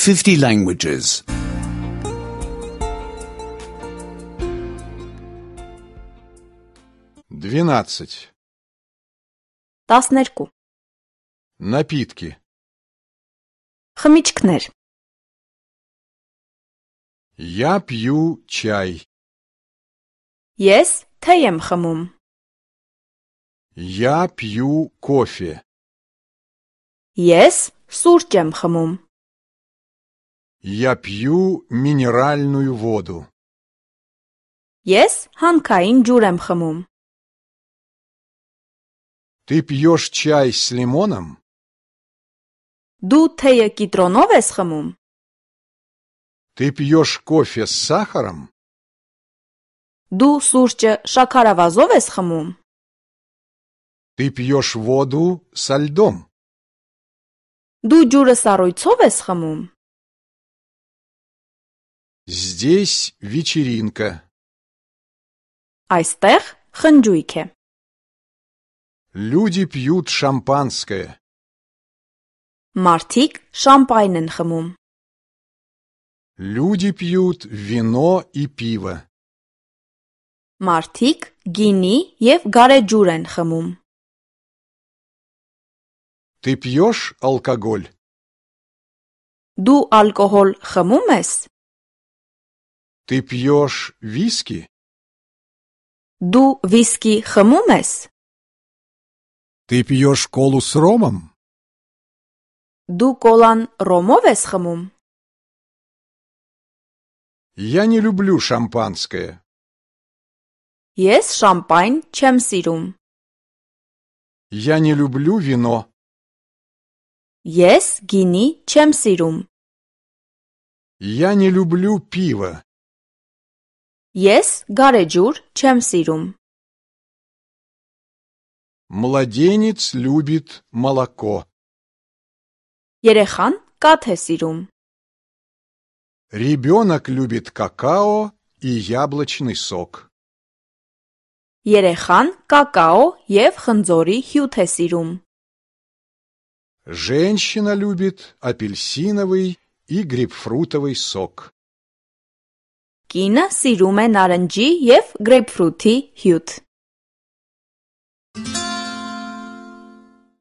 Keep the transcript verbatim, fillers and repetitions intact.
fifty languages. Двенадцать. տասներկու Напитки. խմիչքներ Я пью чай. Ես թե եմ խմում Я пью кофе. Ես սուրճ եմ խմում Я пью минеральную воду. Ես հանքային ջուր եմ խմում Ты пьешь чай с лимоном? Դու թեյը կիտրոնով ես խմում Ты пьешь кофе с сахаром? Դու սուրճը շաքարավազով ես խմում Ты пьешь воду со льдом? Դու ջուրը սառույցով ես խմում Здесь вечеринка. Այստեղ խնջույք է Люди пьют шампанское. Մարդիկ շամպայն են խմում Люди пьют вино и пиво. Մարդիկ գինի և գարեջուր են խմում Ты пьешь алкоголь? Դու ալկոհոլ խմում ես Ты пьешь виски? Դու վիսկի խմում ես Ты пьешь колу с ромом? Դու կոլան ռոմով ես խմում Я не люблю шампанское. Ես շամպայն չեմ սիրում Я не люблю вино. Ես գինի չեմ սիրում Я не люблю пиво. Ես գարեջուր չեմ սիրում Младенец любит молоко. Երեխան կաթ է սիրում Ребенок любит какао и яблочный сок. Երեխան կակաո և խնձորի հյութ է սիրում Женщина любит апельсиновый и грейпфрутовый сок. Կինը սիրում է նարնջի և գրեյփֆրութի հյութ